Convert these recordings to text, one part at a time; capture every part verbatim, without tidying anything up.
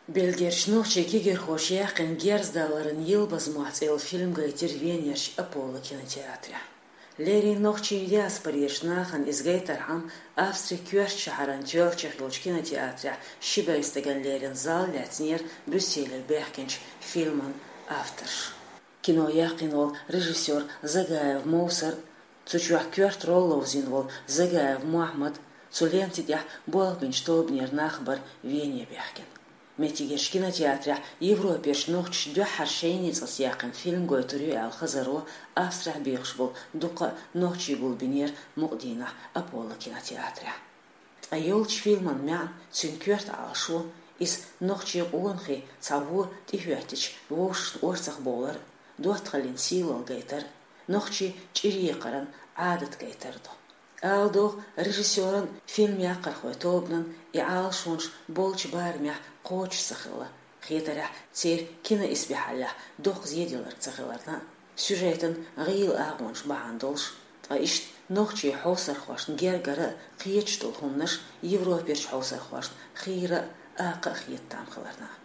Бельгерчу нохчийн кегийрхоша яьккхина «Герздаларан йилбазмохь» цӀе йолу фильм гайтира Венерчу Аполло кинотеатрехь. Леррина нохчийн диаспорерчу нахана иза гайтархьама, Австрин коьртачу шахьаран тоьллачех йолчу кинотеатрехь ши бӀе стагана леррина зал лаьцнера Брюсселе баьхкинчу фильман авторша. Кино яьккхина волу режиссёр Загаев Мовсар, цу чохь коьрта роль ловзийна волу Загаев Мохьмад, цу ленти тӀехь болх бинчу тобанера нах бара Вене баьхкина. Меттигерчу кинотеатрехь Европерчу нохчаша дуьххьара шайна ницкъаца яьккхина фильм гойтур ю аьлла хазаро Австрехь бехаш болу дуккха а нохчий гулбинера мукъа дийнахь Аполло кинотеатрехь. Ткъа йолчу фильман маьӀна, цуьнан коьрта Ӏалашо, иза нохчийн къонахий цхьа вон тӀехӀоьттича вовшашна орцах бовлар а, доттагӀаллин сийлалла гайтар а, нохчийн чӀир екхаран Ӏадат гайтар а ду. Ала догӀу, режиссёран, фильм яккхархойн тобанан и Ӏалашонаш болчу барамехь кхочуш ца хилла, хетарехь, церан киноисбаьхьаллехь доккха зеделларг ца хиларна а, сюжетан гӀийла агӀонаш бахьана долуш, ткъа иштта нохчийн хьовсархошна гергара а кхеташ долу хӀуманаш Европерчу хьовсархошна хийра а, акха а хета там хиларна а.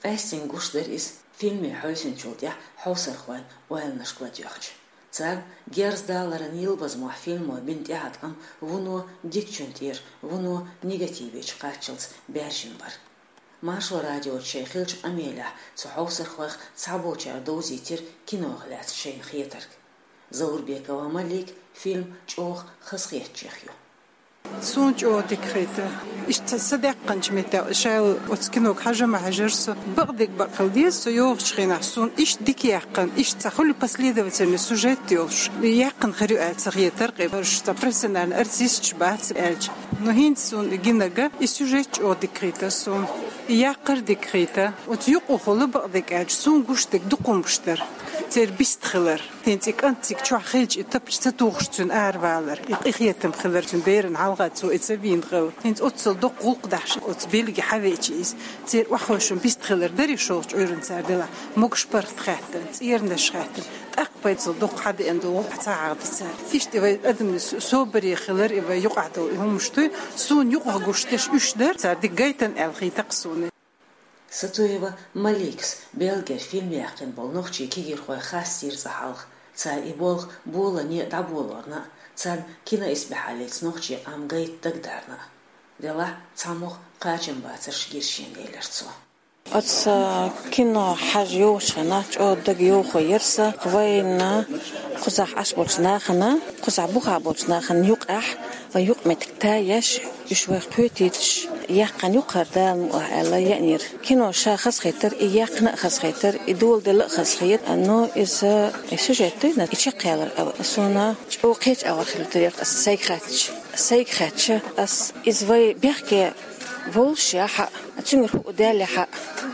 Къаьстина гуш дара иза фильме хьаьвсинчул тӀаьхьа хьовсархойн ойланашка ладоьгӀча. Царна «Герздаларан йилбазмохь» фильмо бина тӀеӀаткъам вуно дикачун тӀера, вуно негативе чу кхаччалц баьржина бара. Маршо радиочу шайн хиллачу къамелехь цу хьовсархойх цхьаболчара довзийтира кинох лаьцна шайна хетарг. Заурбекова Малика фильм чӀогӀа хазахеттачех ю. Суна чӀогӀа дика хета. Иштта сан даьккхинчу меттехь, ша оцу кинога хьажа ма хьажара со. Бакъдерг бакъ хила деза, со йогӀучу хенахь суна иштта дика яьккхина, иштта ца хуьлу последовательный сюжет йолуш. Яьккхина хир ю аьлла ца хетара, кхин барш ца профессиональный артисташ бац аьлча. Но хӀинца суна гинарг, и сюжет чӀогӀа дика хета суна. И яккхар дика хета. Оцу юкъахула бакъдерг аьлча, суна гуш дерг дукха хӀуманаш дара. Церан бист хилар. ХӀинца и кӀант цига чохь хилча, и тапча ца тухуш цуьнан аравалар, и къинхетам хилар цуьнан берана хьалха цо и ца вийна хилар. ХӀинца оццул доккха гӀуллакх дахьаш оцу Бельге хьавеача иза. Церан охьахевшина бист хилар дарий шолгӀачу Ӏуьйранна цара делахь, могуш паргӀат хаьттина, цӀернаш хаьттина. ТӀаккха пайцал доккха хьадеана долу гӀуллакх ца хьахади цара. Иштта и вай адамийн собаре хилар, и вай юкъахь долу и хӀуманаш дуй, суна юкъахь гуш дерш уьш дара, цара дика гайтина аьлла хетара суна. Сатуева Маликас Бельгера фильм яьккхина болу нохчийн кегийрхой хастийра цкъа хьалха. Цара и болх болане а дӀаболорна а, царна киноисбаьхьаллица нохчийн къам гайта дагадарна а. Делахь цхьа муха кхачамбацарш гира шена, элира цо. Оцу кино хьажа йогӀучу хенахь чӀогӀа дага йовхо яра сан, вайна кхузахь Ӏаш болчу нахана, кхузахь бухахь болчу нахана юкъахь, вай юкъаметтиг тайеш, уьш вайх кхетийташ, яьккхина ю-кх хӀара Дала мукъ лахь аьлла еанера. Кино ша хазахетара, и яьккхина а хазахетара, и доладелла а хазахета, но иза, и сюжет дуьйна, и чекхъялар а, суна чӀогӀа кхечу агӀор хилла тера ас сайга хаьттича. Сайга хаьттича ас, иза вай бехке волуш яхьа, цуьнгара хӀуъа даьлла яхьа,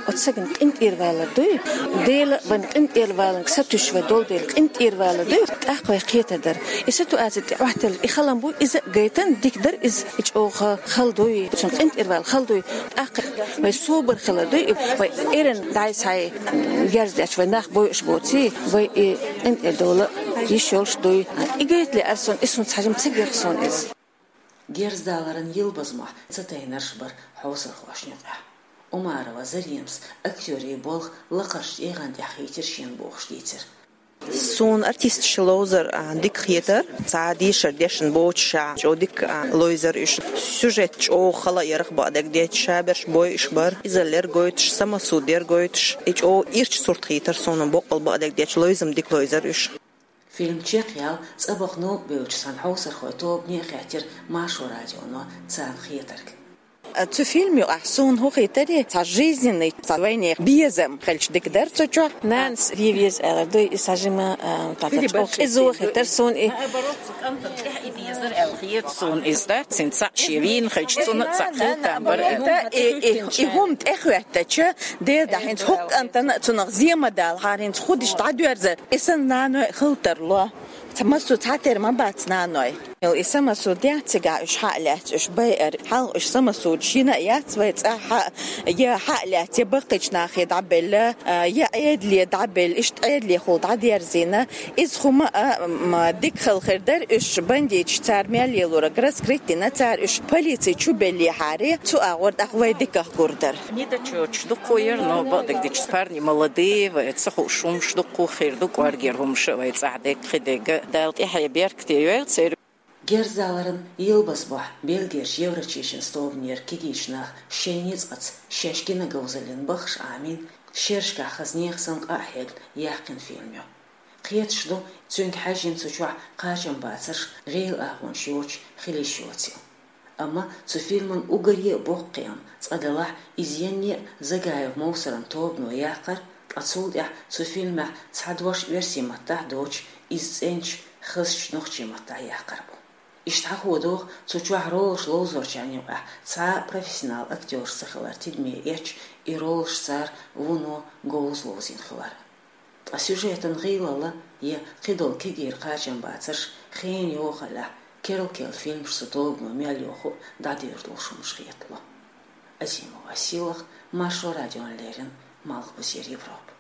оцу сагана къинтӀера валар дуй? Дела вайн къинтӀера валанга сатуьйсуш вай долу дела, къинтӀера валар дуй? ТӀаккха вай кхетар дара. И ситуаци тӀе Ӏоттаелла и хала буй, иза а гайтина, дика дара иза, и чӀогӀа хала дуй, цунна къинтӀера вала хала дуй. ТӀаккха вай собар хилар дуй, вай эрна дӀай-схьай герз дечу вай нах бойуш боций, вай и къинтӀера дола йиш йолуш дуй. И гайта лаьара суна, и суна цхьа жима ца гира суна иза. Герздаларан йилбазмохь ца тайнарш бара хьовсархошна юкъахь. Умарова Заремас актёрийн болх лакхарчу тӀегӀан тӀехь хийтира шена бохуш дийцира. Суна артисташ ловзар, а, дика хетара, цхьа дешар дешна боцуш, а, чӀогӀа дика, а, ловзар уьш. Сюжет чӀогӀа хала ярах бакъдерг детташ, шаберш бойуш бара. Изаллера гойтуш, самасудера гойтуш. И чӀогӀа ирча сурт хийтара суна, боккъал бакъдерг детташ, ловзам дика ловзар уьш. Фильм чекхъяла цӀа баха новкъа бевллачу цхьана хьовсархойн тобане а хаьттира Маршо радионо царна хетарг. Цу фильм юкъахь суна хӀун хийтара, цхьа жизненный, цхьа вайнехан безам хилча дика дара цу чохь. Нанас вен веза аьлла дуй, и цхьа жима, а, тӀаккха чӀогӀа къизо хетара суна и. Наоборот, цу кӀантана тӀехь и дезара аьлла хета суна иза, да? Цуьнан цхьаъ шен вийна хилча, цунна а цхьаъ хила там бара. И, и, и хӀума тӀехӀоьттича, дера да, хӀинца хӀокху кӀантана а цунах зен ма далахьара, хӀинца хӀун дича дӀадоьрзар. И санна наной а хала тарло. Ца массо цхьатера ма бац наной. И самосуд яц цигахь уьш хьа а лаьцна, уьш байар. Хьалха уьш самосудаш йина а яц вай цӀахь хьа, я хьа а лаьцна, я баккхийчу нахе дӀабелла, а, я Ӏедале дӀабелла, иштта Ӏедалехула дӀадерзийна. Иза хӀума а, м, дика хала хир дара, уьш бандиташ цара мел лелораг раскрыть дина, цара уьш полици чу беллехьара, цу агӀор тӀаккха вай диках гур дара. Нитачочуш дуккхо яра, но бакъдерг дича парни молодые, вай ца хууш хӀумаш дуккхо хир ду, кӀоргера хӀумаш а вай цӀахь дерг, кхидерг а. Дала тӀаьхье беркате йойла церан. Герзаларан йилбаз бохь Бельгерчу Еврачийшин столбанера кегийчу наха шайн ницкъаца шаьш гина говзаллин баххаш Ӏамийна, шерашкахь хаза нехан санна къа а хьегна яьккхина фильм ю. Кхеташ ду, цуьнга хьаьжжина цу чохь кхачам бацарш гӀийла агӀонаш йоцуш хила йиш йоцийла. Амма цу фильман уггаре а боккха кхиам цкъа делахь, иза янне а Загаев Мовсаран тобано яккхар, ткъа цул тӀаьхьа цу фильмехь цхьа дош оьрсийн маттахь а доцуш, иза цӀеначу, хазачу нохчийн маттахь яккхар бу. Иштта хьахо доху, цу чохь ролаш ловзорчарна юкъахь цхьа а профессионал актёраш ца хилар тидаме эцча, и ролаш цара вуно говза ловзийна хилар. Ткъа сюжетан гӀийлалла я кхидолу кегийра кхачам бацарш хенан йохаллехь, керла-керла фильмаш цу тобано мел йоху а дӀадуьйр долуш хӀумаш хетало. Азимова Сийлаха, Маршо радиона леррина, Малхбузера Европа.